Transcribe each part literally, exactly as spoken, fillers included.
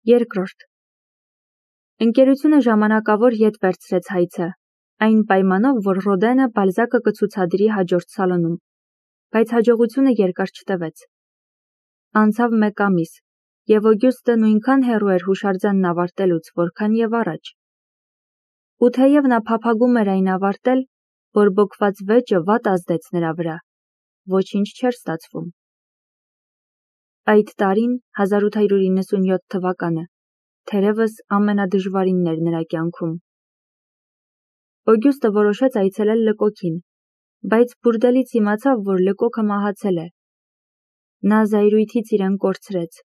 Երկրորդ. Ընկերությունը ժամանակավոր ետ վերցրեց հայցը, այն պայմանով, որ Ռոդենը Բալզակը կցուցադրի հաջորդ սալոնում, բայց հաջողությունը երկար չտևեց։ Անցավ մեկ ամիս, և Օգյուստը նույնքան հեռու էր հուշարձանն ավարտելուց, որքան և առաջ։ Ու թեև նա փափագում էր այն ավարտել, բորբոքված վեճը վատ ազդեց նրա վրա, ոչինչ չէր ստացվում։ Այդ տարին, հազար ութ հարյուր իննսունյոթ թվականը, թերևս ամենադժվարինն էր նրա կյանքում։ Օգյուստը որոշեց այցելել Լկոքին, բայց բուրդելից իմացավ, որ Լկոքը մահացել է։ Նա զայրույթից իրեն կորցրեց։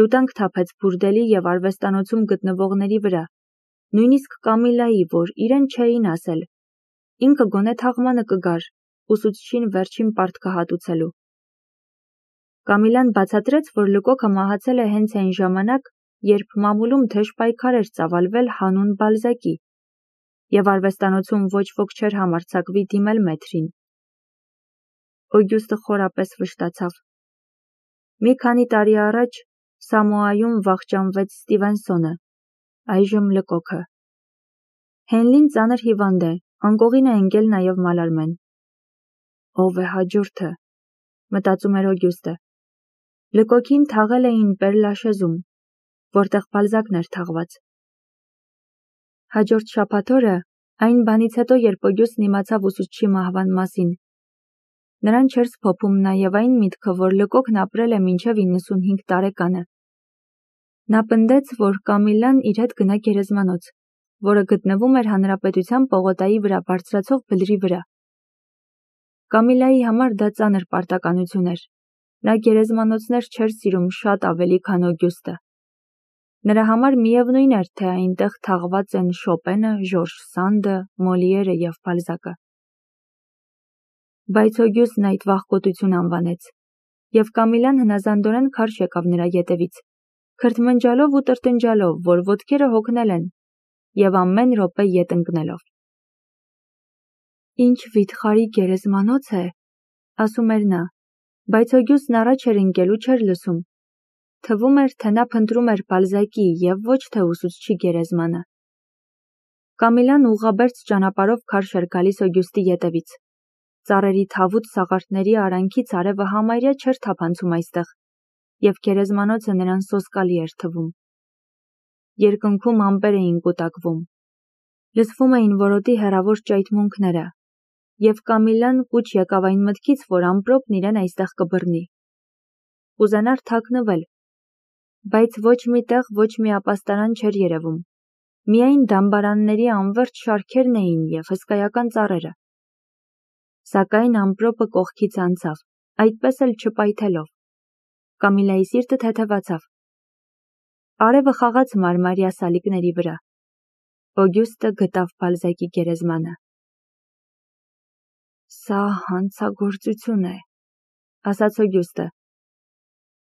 Լուտանք թափեց բուրդելի և արվեստանոցում գտնվողների վրա, նույնիսկ Կամիլայի, որ իրեն չէին ասել, ինքը գոնե թաղմանը կգար, ուսուցչին վերջին պարտքը հատուցելու։ Կամիլան բացատրեց, որ Լկոքը մահացել է հենց այն ժամանակ, երբ մամուլում թեժ պայքար էր ծավալվել հանուն Բալզակի, և արվեստանոցում ոչ ոք չէր համարձակվի դիմել մեթրին։ Օգյուստը խորապես վշտացավ։ Մի քանի տարի առաջ Սամոայում վախճանվեց Ստիվենսոնը, այժմ Լկոքը։ Հենլին ծանր հիվանդ է, անկողին է ընկել նաև Մալարմեն։ Ո՞վ է հաջորդը, մտածում էր Օգյուստը։ Լկոքին թաղել էին Պեր-Լաշեզում, որտեղ Բալզակն էր թաղված։ Հաջորդ շաբաթ օրը, այն բանից հետո, երբ Օգյուստն իմացավ ուսուցչի մահվան մասին, նրան չէր սփոփում նաև այն միտքը, որ Լկոքն ապրել է մինչև իննսունհինգ տարեկանը։ Նա պնդեց, որ Կամիլան իր հետ գնա գերեզմանոց, որը գտնվում էր Հանրապետության պողոտայի վրա բարձրացող բլրի վրա։ Կամիլայի համար դա ծանր պարտականություն էր։ Նա գերեզմանոցներ չէր սիրում շատ ավելի, քան Օգյուստը։ Նրա համար միևնույն էր, թե այնտեղ թաղված են Շոպենը, Ժորժ Սանդը, Մոլիերը և Բալզակը։ Բայց Օգյուստն այդ վախկոտություն անվանեց, և Կամիլան հնազանդորեն քարշ եկավ նրա ետևից, քրթմնջալով ու տրտնջալով, որ ոտքերը հոգնել են, և ամեն րոպե ետ ընկնելով։ Ինչ վիթխարի գերեզմանոց է, ասում էր նա, բայց Օգյուստն առաջ էր ընկել ու չէր լսում։ Թվում էր, թե նա փնտրում էր Բալզակի և ոչ թե ուսուցչի գերեզմանը։ Կամիլան ուղղաբերձ ճանապարհով քարշ էր գալիս Օգյուստի ետևից։ Ծառերի թավուտ սաղարթների արանքից արևը համարյա չէր թափանցում այստեղ, և գերեզմանոցը նրան սոսկալի էր թվում։ Երկնքում ամպեր էին կուտակվում։ Լսվում էին որոտի հեռավոր ճայթմունքները, և Կամիլան կուչ եկավ այն մտքից, որ ամպրոպն իրեն այստեղ կբռնի։ Կուզենար թաքնվել, բայց ոչ մի տեղ ոչ մի ապաստարան չէր երևում, միայն դամբարանների անվերջ շարքերն էին և հսկայական ծառերը։ Սակայն ամպրոպը կողքից անցավ, այդպես էլ չպայթելով։ Կամիլայի սիրտը թեթևացավ։ Արևը խաղաց մարմարյա սալիկների վրա։ Օգյուստը գտավ Բալզակի գերեզմանը։ Սա հանցագործություն է, ասաց Օգյուստը։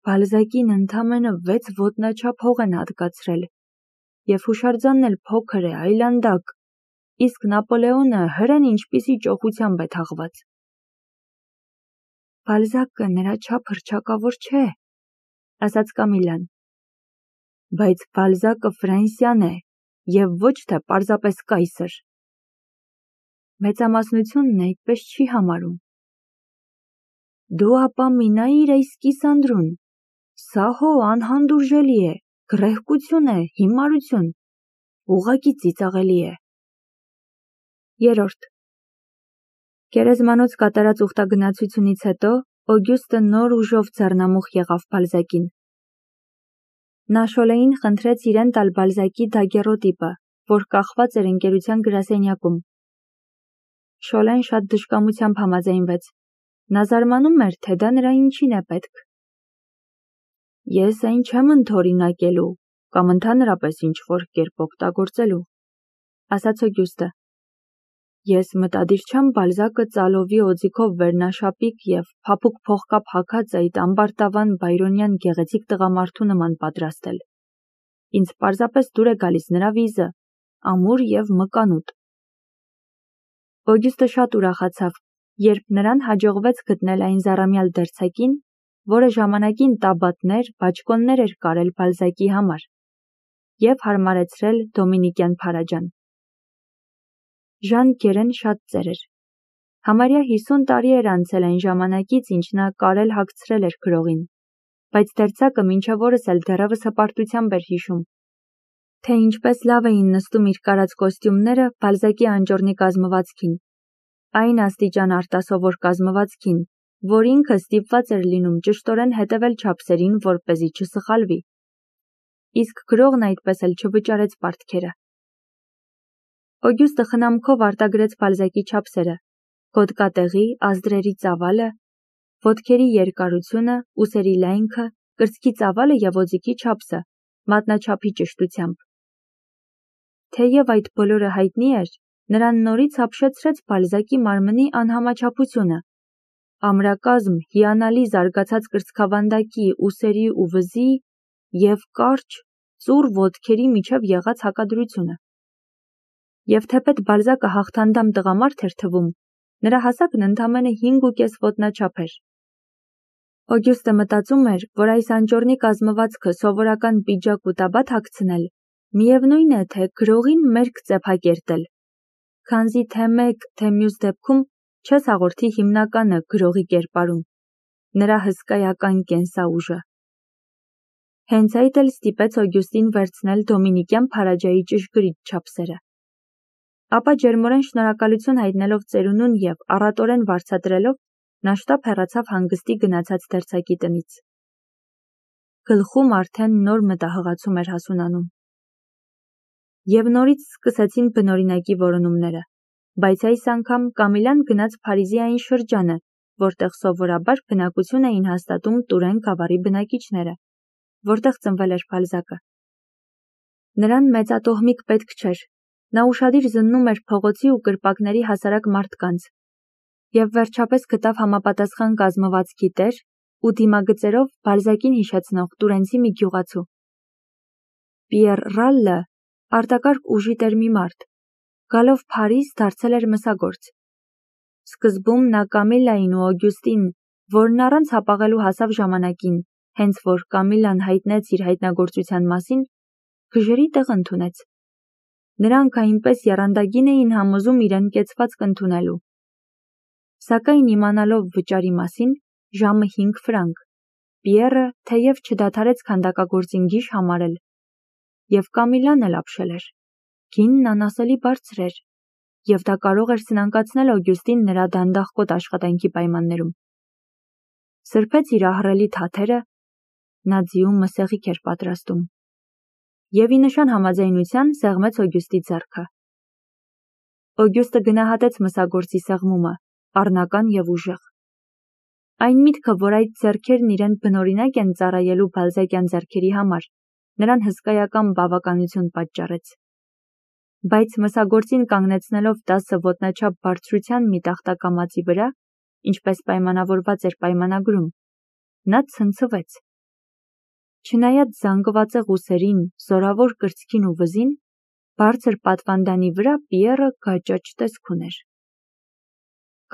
Բալզակին ընդամենը վեց ոտնաչափ հող են հատկացրել, և հուշարձանն էլ փոքր է, այլանդակ, իսկ Նապոլեոնը հրեն ինչպիսի ճոխությամբ է թաղված։ Բալզակը նրա չափ հռչակավոր չէ, ասաց Կամիլան։ Բայց Բալզակը Ֆրանսիան է և ոչ թե պարզապես կայսր։ Մեծամասնությունն այդպես չի համարում։ Դու ապա մի նայիր այս կիսանդրուն, սա հո անհանդուրժելի է, գռեհկություն է, հիմարություն, ուղղակի ծիծաղելի է։ Երորդ. Գերեզմանոց կատարած ուխտագնացությունից հետո Օգյուստը նոր ուժով ձեռնամուխ եղավ Բալզակին։ Նա Շոլեին խնդրեց իրեն տալ Բալզակի դագերոտիպը, որ կախված էր ընկերության գրասենյակում։ Շոլեն շատ դժկամությամբ համաձայնվեց։ Նա զարմանում էր, թե դա նրա ինչին է պետք։ Ես այն չեմ ընդօրինակելու կամ ընդհանրապես ինչ-որ կերպ օգտագործելու, ասաց Օգյուստը։ Ես մտադիր չեմ Բալզակը ծալովի օձիքով վերնաշապիկ և փափուկ փողկապ հագած այդ ամբարտավան բայրոնյան գեղեցիկ տղամարդու նման պատրաստել։ Ինձ պարզապես դուր է գալիս նրա վիզը, ամուր և մկանուտ։ Օգյուստը շատ ուրախացավ, երբ նրան հաջողվեց գտնել այն զառամյալ դերձակին, որը ժամանակին տաբատներ, բաճկոններ էր կարել Բալզակի համար։ և հարմարեցրել դոմինիկյան փարաջան։ Ժան Գերեն շատ ծեր էր։ Համարյա հիսուն տարի էր անցել այն ժամանակից, ինչ նա կարել հագցրել էր գրողին, բայց դերձակը մինչև օրս էլ դեռևս հպարտությամբ էր հիշում, թե ինչպես լավ էին նստում իր կարած կոստյումները Բալզակի անճոռնի կազմվածքին, այն աստիճան արտասովոր կազմվածքին, որ ինքը ստիպված էր լինում ճշտորեն հետևել չափսերին, որպեսզի չսխալվի։ Իսկ գրողն այդպես էլ չվճարեց պարտքերը։ Օգյուստը խնամքով արտագրեց Բալզակի չափսերը, հոդկատեղի, ազդրերի ծավալը, ոտքերի երկարությունը, ուսերի լայնքը, կրծքի ծավալը և օձիքի չափսը, մատնաչափի ճշտությամբ։ Թեև այդ բոլորը հայտնի էր, նրան նորից ապշեցրեց Բալզակի մարմնի անհամաչափությունը, ամրակազմ, հիանալի զարգացած կրծքավանդակի, ուսերի ու վզի և կարճ, ծուռ ոտքերի միջև եղած հակադրությունը։ Եվ թեպետ Բալզակը հաղթանդամ տղամարդ էր թվում, նրա հասակն ընդամենը հինգ ու կես ոտնաչափ էր։ Օգյուստը մտածում էր, որ այս անճոռնի կազմվածքը սովորական պիջակ ու տաբատ հագցնել, միևնույն է, թե գրողին մերկ ծեփակերտել, քանզի թե մեկ, թե մյուս դեպքում չես հաղորդի հիմնականը գրողի կերպարում, նրա հսկայական կենսաուժը։ Հենց այդ էլ ստիպեց Օգյուստին վերցնել դոմինիկյան փարաջայի ճշգրիտ չափսերը։ Ապա ջերմորեն շնորհակալություն հայտնելով ծերունուն և առատորեն վարձատրելով, նա շտապ հեռացավ հանգստի գնացած դերձակի տնից։ Գլխում արդեն նոր մտահղացում էր հասունանում։ Եվ նորից սկսեցին բնօրինակի որոնումները, բայց այս անգամ Կամիլան գնաց Փարիզի այն շրջանը, որտեղ սովորաբար բնակություն էին հաստատում Տուրեն գավառի բնակիչները, որտեղ ծնվել էր Բալզակը։ Նրան մեծատոհմիկ պետք չէր, նա ուշադիր զննում էր փողոցի ու կրպակների հասարակ մարդկանց, և վերջապես գտավ համապատասխան կազմվածքի տեր ու դիմագծերով Բալզակին հիշեցնող տուրենցի մի գյուղացու։ Պիեր Ռալլը, արտակարգ ուժի տեր մի մարդ, գալով Փարիզ դարձել էր մսագործ։ Սկզբում նա Կամիլային ու Օգյուստին, որն առանց հապաղելու հասավ ժամանակին, հենց որ Կամիլան հայտնեց իր հայտնագործության մասին, գժերի տեղ ընդունեց։ Նրանք այնպես եռանդագին էին համոզում իրեն կեցվածք ընդունելու։ Սակայն իմանալով վճարի մասին, ժամը հինգ ֆրանկ, Պիերը թեև չդադարեց քանդակագործին գիժ համարել, և Կամիլան էլ ապշել էր։ Գինն անասելի բարձր էր, և դա կարող էր սնանկացնել Օգյուստին նրա դանդաղկոտ աշխատանքի պայմաններում։ Սրբեց իր ահռելի թաթերը, նա ձիու մսեղիկ էր պատրաստում, և ի նշան համաձայնության սեղմեց Օգյուստի ձեռքը։ Օգյուստը գնահատեց մսագործի սեղմումը, առնական և ուժեղ։ Այն միտքը, որ այդ ձեռքերն իրեն բնօրինակ են ծառայելու բալզակյան ձեռքերի համար, նրան հսկայական բավականություն պատճառեց։ Բայց մսագործին կանգնեցնելով տասը ոտնաչափ բարձրության մի տախտակամածի վրա, ինչպես պայմանավորված էր պայմանագրում, նա ցնցվեց։ Չնայած զանգվածեղ ուսերին, զորավոր կրծքին ու վզին, բարձր պատվանդանի վրա Պիերը գաճաճ տեսք ուներ։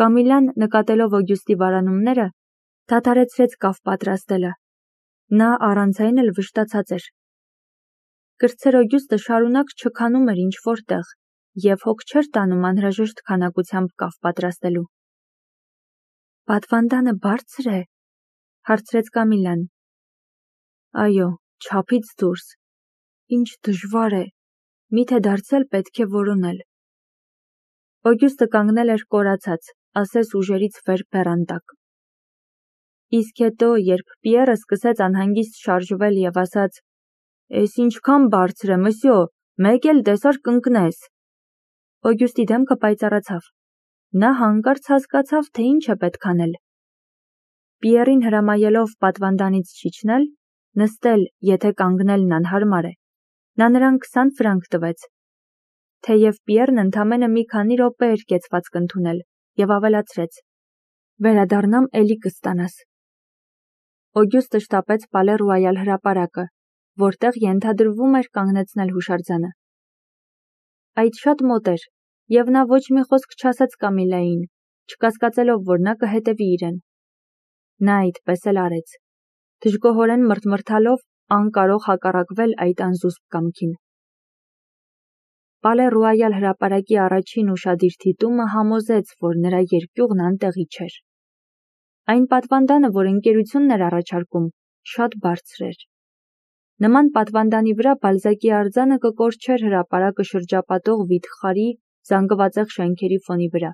Կամիլան, նկատելով Օգյուստի վարանումները, դադարեցրեց կավ պատրաստելը։ Նա առանց այն էլ վշտացած էր։ Կրտսեր Օգյուստը շարունակ չքանում էր ինչ-որ տեղ և հոգ չէր տանում անհրաժեշտ քանակությամբ կավ պատրաստելու։ Պատվանդանը բարձր է, հարցրեց Կամիլան։ Այո, չափից դուրս։ Ինչ դժվար է, միթե դարձյալ պետք է որոնել։ Օգյուստը կանգնել էր կորացած, ասես ուժերից վեր բեռան տակ։ Իսկ հետո, երբ Պիերը սկսեց անհանգիստ շարժվել և ասաց. «Էս ինչքան բարձր է, մսյո, մեկ էլ տեսար կընկնես», Օգյուստի դեմքը պայծառացավ։ Նա հանկարծ հասկացավ, թե ինչ է պետք անել։ Պիերին հրամայելով պատվանդանից չիջնել, նստել, եթե կանգնելն անհարմար է, նա նրան քսան ֆրանկ տվեց։ Թեև Պիերն ընդամենը մի քանի րոպե էր կեցվածք ընդունել և ավելացրեց. «Վերադառնամ էլի կստանաս»։ Օգյուստը շտապեց Պալե Ռոյալ հրապարակը, որտեղ ենթադրվում էր կանգնեցնել հուշարձանը։ Այդ շատ մոտ էր, և նա ոչ մի խոսք չասաց Կամիլային, չկասկածելով, որ նա կհետևի իրեն։ Նա այդպես էլ արեց, դժգոհորեն մռթմռթալով, անկարող հակառակվել այդ անզուսպ կամքին։ Պալե Ռոյալ հրապարակի առաջին ուշադիր դիտումը համոզեց, որ նրա երկյուղն անտեղի չէր։ Այն պատվանդանը, որ ընկերությունն էր առաջարկում, շատ բարձր էր։ Նման պատվանդանի վրա Բալզակի արձանը կկորչեր հրապարակը շրջապատող վիթխարի, զանգվածեղ շենքերի ֆոնի վրա։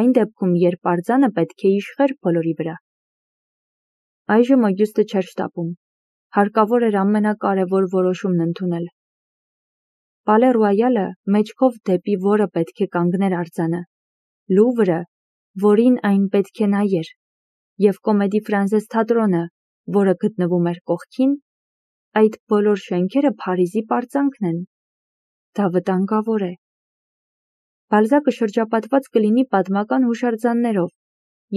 Այն դեպքում, երբ արձանը պետք է իշխեր բոլորի վրա։ Այժմ Օգյուստը չէր շտապում։ Հարկավոր էր ամենակարևոր որոշումն ընդունել։ Պալե Ռոյալը մեջքով դեպի որը պետք է կանգներ արձանը, Լուվրը, որին այն պետք է նայեր, և Կոմեդի Ֆրանսես թատրոնը, որը գտնվում էր կողքին, այդ բոլոր շենքերը Փարիզի պարծանքն են։ Դա վտանգավոր է։ Բալզակը շրջապատված կլինի պատմական հուշարձաններով,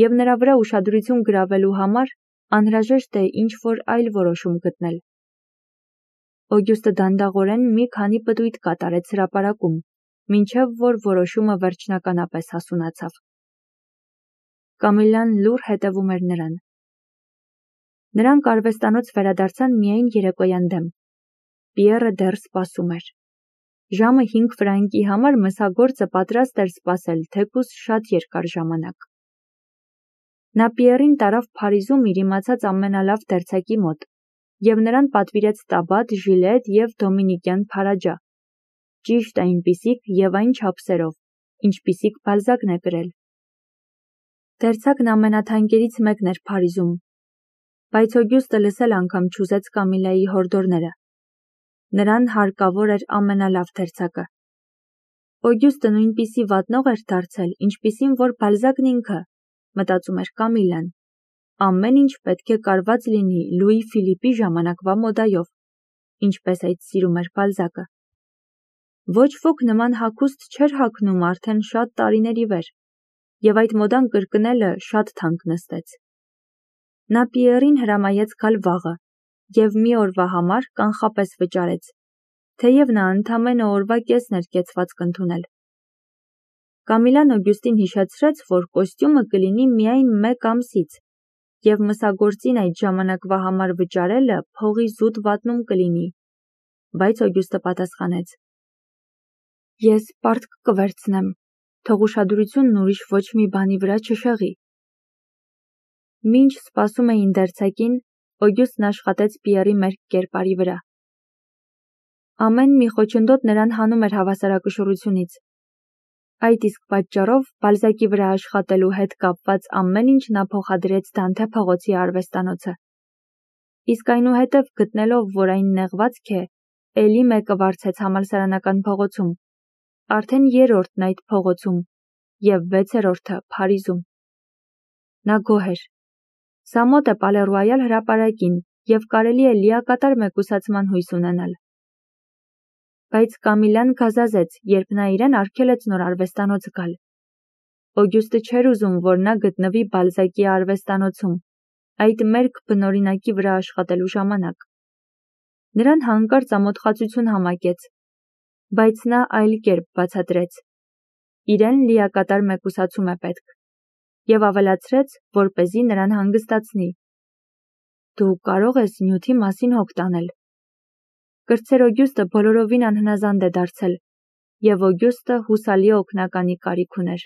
և նրա վրա ուշադրություն գրավելու համար անհրաժեշտ է ինչ-որ այլ որոշում գտնել։ Օգյուստը դանդաղորեն մի քանի պտույտ կատարեց հրապարակում, մինչև որ որոշումը վերջնականապես հասունացավ։ Կամիլան լուռ հետևում էր նրան։ Նրանք արվեստանոց վերադարձան միայն երեկոյան դեմ։ Պիերը դեռ սպասում էր։ Ժամը հինգ ֆրանկի համար մսագործը պատրաստ էր սպասել թեկուզ շատ երկար ժամանակ։ Նա Պիերին տարավ Փարիզում իր իմացած ամենալավ դերձակի մոտ, և նրան պատվիրեց տաբատ, ժիլետ և դոմինիկյան փարաջա, ճիշտ այնպիսիք և այն չափսերով, ինչպիսիք Բալզակն է կրել։ Դերձակն ամենաթանկերից մեկն էր Փարիզում, բայց Օգյուստը լսել անգամ չուզեց Կամիլայի հորդորները։ Նրան հարկավոր էր ամենալավ դերձակը։ Օգյուստը նույնպիսի վատնող էր դարձել, ինչպիսին որ Բալզակն ինքը, մտածում էր Կամիլան։ Ամեն ինչ պետք է կարված լինի Լուի Ֆիլիպի ժամանակվա մոդայով, ինչպես այդ սիրում էր Բալզակը։ Ոչ ոք նման հագուստ չէր հագնում արդեն շատ տարիների վեր, և այդ մոդան կրկնելը շատ թանկ նստեց։ Նա Պիերին հրամայեց գալ վաղը, և մի օրվա համար կանխապես վճարեց, թեև նա ընդամենը օրվա կեսն էր կեցված կընդունել։ Կամիլան Օգյուստին հիշեցրեց, որ կոստյումը կլինի միայն մեկ ամսից, և մսագործին այդ ժամանակվա համար վճարելը փողի զուտ վատնում կլինի, բայց Օգյուստը պատասխանեց. Ես պարտք կվերցնեմ, թող ուշադրությունն ուրիշ ոչ մի բանի վրա չշեղի։ Մինչ սպասում էին դերձակին, Օգյուստն աշխատեց Պիերի մերկ կերպարի վրա։ Ամեն մի խոչընդոտ նրան հանում էր հավասարակշռությունից։ Այդ իսկ պատճառով Բալզակի վրա աշխատելու հետ կապված ամեն ինչ նա փոխադրեց Դանթե փողոցի արվեստանոցը։ Իսկ այնուհետև գտնելով, որ այն նեղվածք է, էլի մեկը վարձեց համալսարանական փողոցում, արդեն երրորդն այդ փողոցում և վեցերորդը Փարիզում։ Նա գոհ էր։ Սա մոտ է Պալե Ռոյալ հրապարակին և կարելի է լիակատար մեկուսացման հույս ունենալ։ Բայց Կամիլան գազազեց, երբ նա իրեն արգելեց նոր արվեստանոց գալ։ Օգյուստը չէր ուզում, որ նա գտնվի Բալզակի արվեստանոցում, այդ մերկ բնօրինակի վրա աշխատելու ժամանակ։ Նրան հանկարծ ամոթխածություն համակեց, բայց նա այլ կերպ բացատրեց. իրեն լիակատար մեկուսացում է պետք, և ավելացրեց, որպեսզի նրան հանգստացնի. Դու կարող ես նյութի մասին հոգ տանել։ Կրտսեր Օգյուստը բոլորովին անհնազանդ է դարձել, և Օգյուստը հուսալի օգնականի կարիք ուներ։